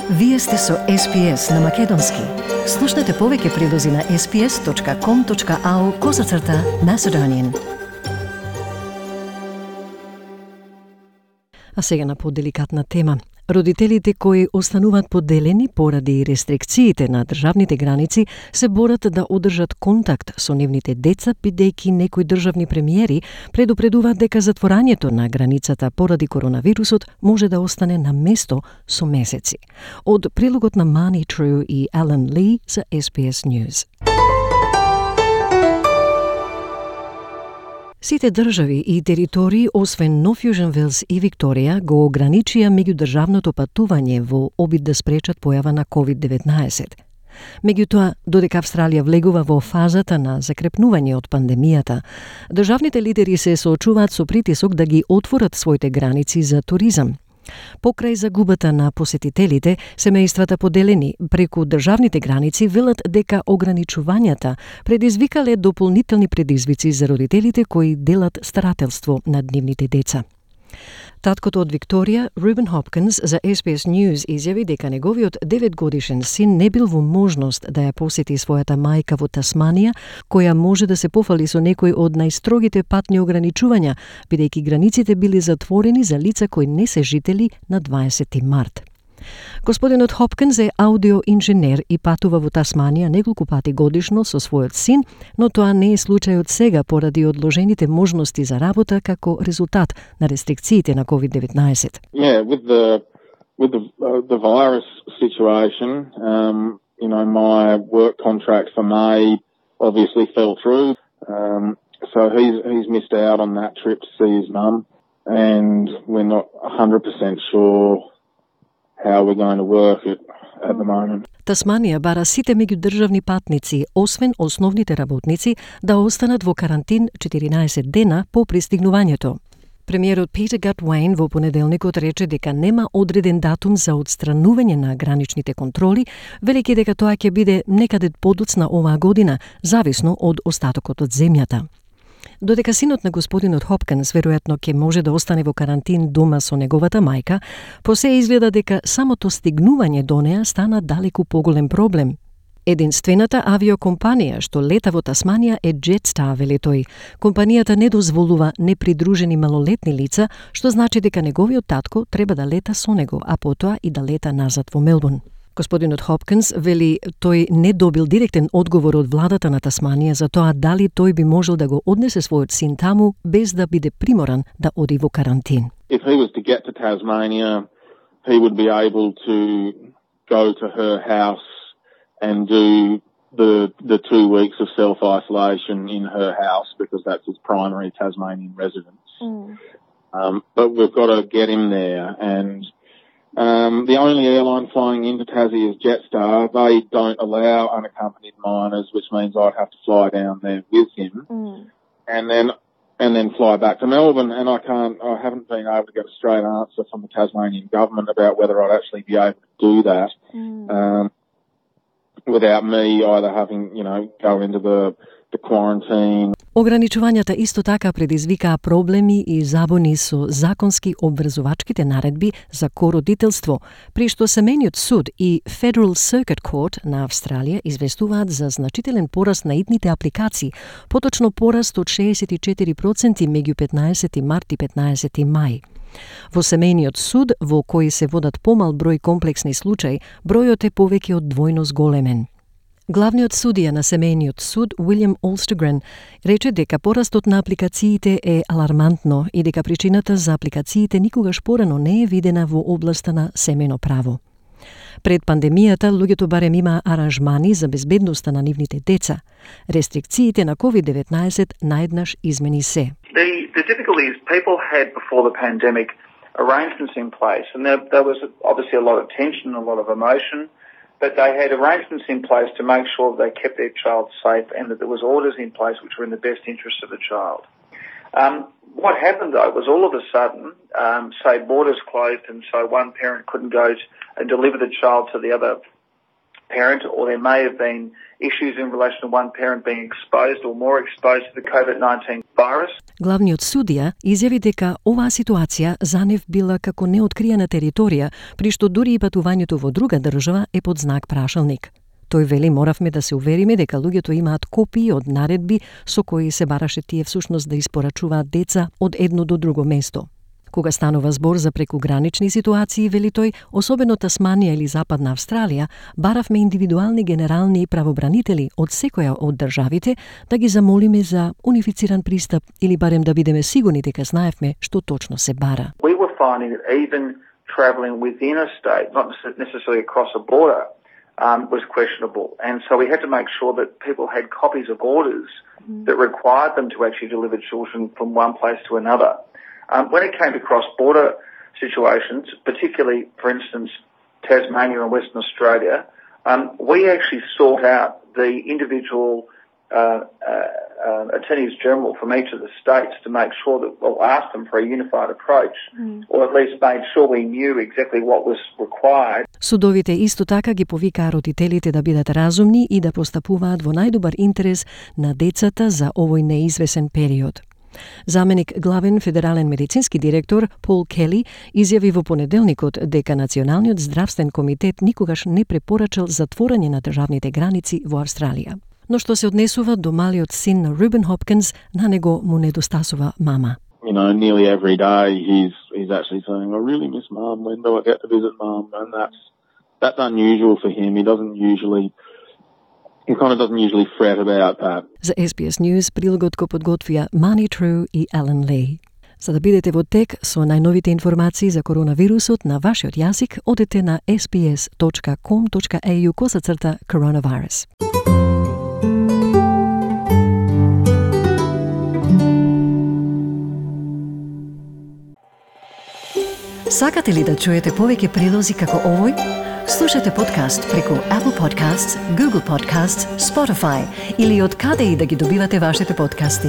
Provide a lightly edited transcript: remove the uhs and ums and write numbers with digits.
Вие сте со SPS на Македонски. Слушнете повеќе прилози на sps.com.au/Macedonian. А сега на поделикатна тема. Родителите кои остануваат поделени поради рестрикциите на државните граници се борат да одржат контакт со нивните деца, бидејќи некои државни премиери предупредуваат дека затворањето на границата поради коронавирусот може да остане на место со месеци. Од прилогот на Мани Тру и Алан Ли за SBS News. Сите држави и територии, освен Нов Јужен Велс и Викторија, го ограничија меѓудржавното патување во обид да спречат појава на COVID-19. Меѓутоа, додека Австралија влегува во фазата на закрепнување од пандемијата, државните лидери се соочуваат со притисок да ги отворат своите граници за туризам. Покрај загубата на посетителите, семејствата поделени преку државните граници велат дека ограничувањата предизвикале дополнителни предизвици за родителите кои делат старателство над нивните деца. Таткото од Викторија, Рубен Хопкинс, за SBS News изјави дека неговиот 9-годишен син не бил во можност да ја посети својата мајка во Тасманија, која може да се пофали со некои од најстрогите патни ограничувања, бидејќи границите били затворени за лица кои не се жители на 20 март. Господинот Хопкинс е аудиоинженер и патува во Тасманија неколку пати годишно со својот син, но тоа не е случајот сега поради одложените можности за работа како резултат на рестрикциите на COVID-19. Yeah, with the virus situation, my work contract for May obviously fell through. So he's missed out on that trip to see his mum, and we're not 100% sure how we're going to work it at the moment. Тасманија бара сите меѓудржавни патници, освен основните работници, да останат во карантин 14 дена по пристигнувањето. Премиерот Питер Гатуейн во понеделникот рече дека нема одреден датум за отстранување на граничните контроли, велејќи дека тоа ќе биде некаде подоцна оваа година, зависно од остатокот од земјата. Додека синот на господинот Хопкинс веројатно ќе може да остане во карантин дома со неговата мајка, по се изгледа дека самото стигнување до неа стана далеку поголем проблем. Единствената авиокомпанија што лета во Тасманија е Jetstar, вели тој. Компанијата не дозволува непридружени малолетни лица, што значи дека неговиот татко треба да лета со него, а потоа и да лета назад во Мелбурн. Господинот Хопкинс вели тој не добил директен одговор од владата на Тасманија за тоа дали тој би можел да го однесе својот син таму без да биде приморан да оди во карантин. If he was to get to Tasmania, he would be able to go to her house and do the 2 weeks of self-isolation in her house because that's his primary Tasmanian residence. But we've got to get him there, and the only airline flying into Tassie is Jetstar. They don't allow unaccompanied minors, which means I'd have to fly down there with him, and then fly back to Melbourne. And I haven't been able to get a straight answer from the Tasmanian government about whether I'd actually be able to do that without me either having, go into the quarantine. Ограничувањата исто така предизвикаа проблеми и забуни со законски обврзувачките наредби за кородителство, при што семејниот суд и Federal Circuit Court на Австралија известуваат за значителен пораст на итните апликации, поточно пораст од 64% меѓу 15 март и 15 мај. Во семејниот суд, во кој се водат помал број комплексни случаи, бројот е повеќе од двојно зголемен. Главниот судија на семејниот суд, Уилјам Олстегрен, рече дека порастот на апликациите е алармантно и дека причината за апликациите никогаш порано не е видена во областа на семејно право. Пред пандемијата, луѓето барем имаа аранжмани за безбедноста на нивните деца. Рестрикциите на COVID-19 наеднаш измени се. The difficulty is people had before the pandemic arrangements in place, and there was obviously a lot of tension, a lot of emotion, but they had arrangements in place to make sure that they kept their child safe and that there was orders in place which were in the best interest of the child. What happened though was all of a sudden, say borders closed, and so one parent couldn't go and deliver the child to the other parent, or there may have been issues in relation to one parent being exposed or more exposed to the COVID-19 virus. Главниот судија изјави дека оваа ситуација за нив била како неоткриена територија, при што дури и патувањето во друга држава е под знак прашалник. Тој вели моравме да се увериме дека луѓето имаат копии од наредби со кои се бараше тие всушност да испорачуваат деца од едно до друго место. Кога станува збор за прекугранични ситуации, вели тој, особено Тасманија или Западна Австралија, баравме индивидуални генерални правобранители од секоја од државите да ги замолиме за унифициран пристап или барем да бидеме сигурни дека знаевме што точно се бара. We were finding that even travelling within a state, not necessarily across a border, was questionable. And so we had to make sure that people had copies of orders that required them to actually deliver children from one place to another. When it came to cross-border situations, particularly, for instance, Tasmania and Western Australia, we actually sought out the individual attorneys general from each of the states to make sure that, well, asked them for a unified approach, or at least made sure we knew exactly what was required. Судовите исто така ги повикаа родителите да бидат разумни и да постапуваат во најдобар интерес на децата за овој неизвесен период. Заменик главен федерален медицински директор Пол Кели изјави во понеделникот дека Националниот здравствен комитет никогаш не препорачал затворање на државните граници во Австралија. Но што се однесува до малиот син на Рубен Хопкинс, на него му недостасува мама. You know, nearly every day he's actually saying, I really miss mum, when do I get to visit mum? And that's unusual for him. He kind of doesn't usually fret about that. За SBS News прилогот го подготвија Mani True и Alan Lee. За да бидете во тек со најновите информации за коронавирусот на вашиот јазик, одете на sbs.com.au/coronavirus. Сакате ли да чуете повеќе прилози како овој? Слушате подкаст преку Apple Podcasts, Google Podcasts, Spotify или од каде и да ги добивате вашите подкасти.